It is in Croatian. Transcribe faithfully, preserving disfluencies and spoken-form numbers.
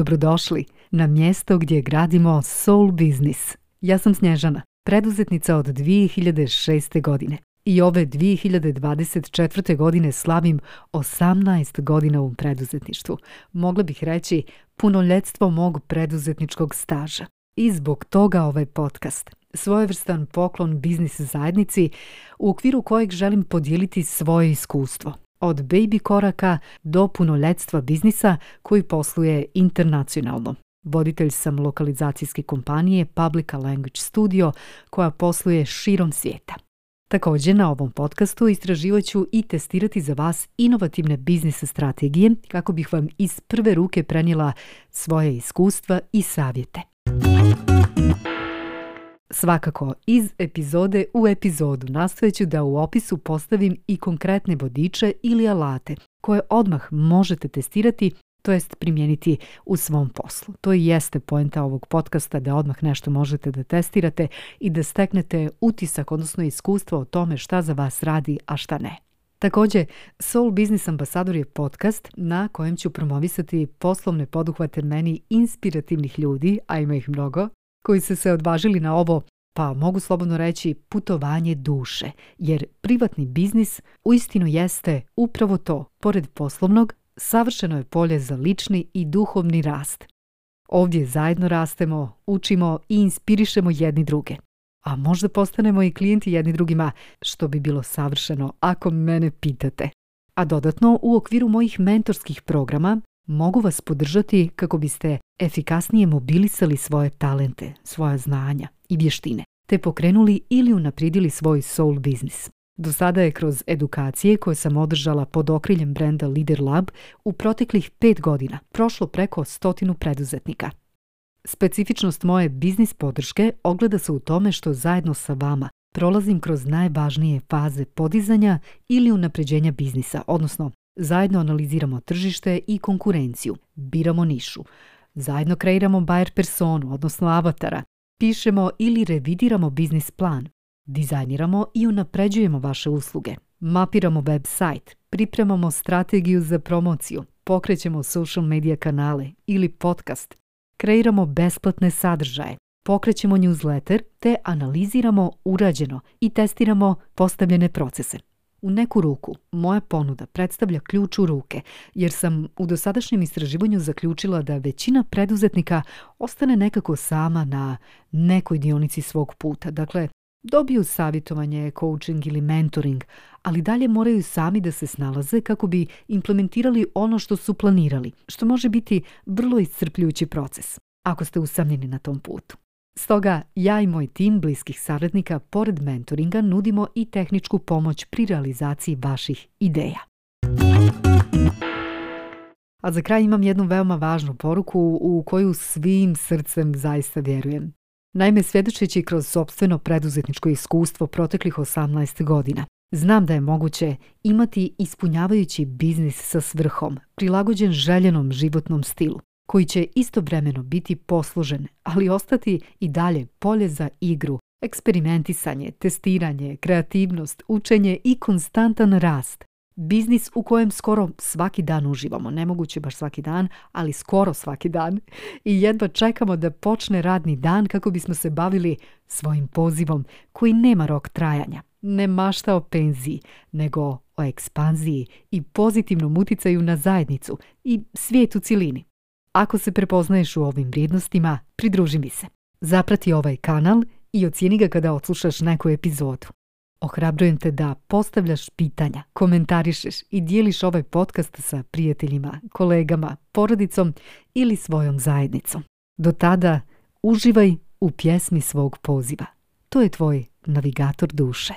Dobrodošli na mjesto gdje gradimo soul business. Ja sam Snježana, preduzetnica od dvije hiljade šeste. godine. I ove dvije hiljade dvadeset četvrte. godine slavim osamnaest godina u preduzetništvu. Mogla bih reći punoljetstvo mog preduzetničkog staža. I zbog toga ovaj podcast. Svojevrstan poklon biznis zajednici u okviru kojeg želim podijeliti svoje iskustvo. Od baby koraka do punoljetstva biznisa koji posluje internacionalno. Voditelj sam lokalizacijske kompanije Publica Language Studio koja posluje širom svijeta. Također na ovom podcastu istraživat ću i testirati za vas inovativne biznis strategije kako bih vam iz prve ruke prenijela svoje iskustva i savjete. Svakako, iz epizode u epizodu nastojat ću da u opisu postavim i konkretne vodiče ili alate koje odmah možete testirati, to jest primijeniti u svom poslu. To i jeste poenta ovog podcasta, da odmah nešto možete da testirate i da steknete utisak, odnosno iskustvo o tome šta za vas radi, a šta ne. Također, Soul Business Ambasador je podcast na kojem ću promovisati poslovne poduhvate meni inspirativnih ljudi, a ima ih mnogo, koji su se odvažili na ovo, pa mogu slobodno reći, putovanje duše, jer privatni biznis uistinu jeste upravo to, pored poslovnog, savršeno je polje za lični i duhovni rast. Ovdje zajedno rastemo, učimo i inspirišemo jedni druge. A možda postanemo i klijenti jedni drugima, što bi bilo savršeno ako mene pitate. A dodatno, u okviru mojih mentorskih programa mogu vas podržati kako biste efikasnije mobilisali svoje talente, svoja znanja i vještine, te pokrenuli ili unaprijedili svoj soul biznis. Do sada je kroz edukacije koje sam održala pod okriljem brenda Leader Lab u proteklih pet godina prošlo preko stotinu preduzetnika. Specifičnost moje biznis podrške ogleda se u tome što zajedno sa vama prolazim kroz najvažnije faze podizanja ili unapređenja biznisa, odnosno zajedno analiziramo tržište i konkurenciju, biramo nišu, zajedno kreiramo buyer personu, odnosno avatara, pišemo ili revidiramo biznis plan, dizajniramo i unapređujemo vaše usluge, mapiramo web sajt, pripremamo strategiju za promociju, pokrećemo social media kanale ili podcast, kreiramo besplatne sadržaje, pokrećemo newsletter te analiziramo urađeno i testiramo postavljene procese. U neku ruku, moja ponuda predstavlja ključ u ruke, jer sam u dosadašnjem istraživanju zaključila da većina preduzetnika ostane nekako sama na nekoj dionici svog puta. Dakle, dobiju savjetovanje, coaching ili mentoring, ali dalje moraju sami da se snalaze kako bi implementirali ono što su planirali, što može biti vrlo iscrpljujući proces, ako ste usamljeni na tom putu. Stoga, ja i moj tim bliskih saradnika, pored mentoringa, nudimo i tehničku pomoć pri realizaciji vaših ideja. A za kraj imam jednu veoma važnu poruku u koju svim srcem zaista vjerujem. Naime, svjedočeći kroz sopstveno preduzetničko iskustvo proteklih osamnaest godina, znam da je moguće imati ispunjavajući biznis sa svrhom, prilagođen željenom životnom stilu, koji će istovremeno biti poslužen, ali ostati i dalje polje za igru, eksperimentisanje, testiranje, kreativnost, učenje i konstantan rast. Biznis u kojem skoro svaki dan uživamo, nemoguće baš svaki dan, ali skoro svaki dan. I jedva čekamo da počne radni dan kako bismo se bavili svojim pozivom koji nema rok trajanja. Ne mašta o penziji, nego o ekspanziji i pozitivnom uticaju na zajednicu i svijet u cjelini. Ako se prepoznaješ u ovim vrijednostima, pridruži mi se. Zaprati ovaj kanal i ocijeni ga kada odslušaš neku epizodu. Ohrabrujem te da postavljaš pitanja, komentarišeš i dijeliš ovaj podcast sa prijateljima, kolegama, porodicom ili svojom zajednicom. Do tada uživaj u pjesmi svog poziva. To je tvoj navigator duše.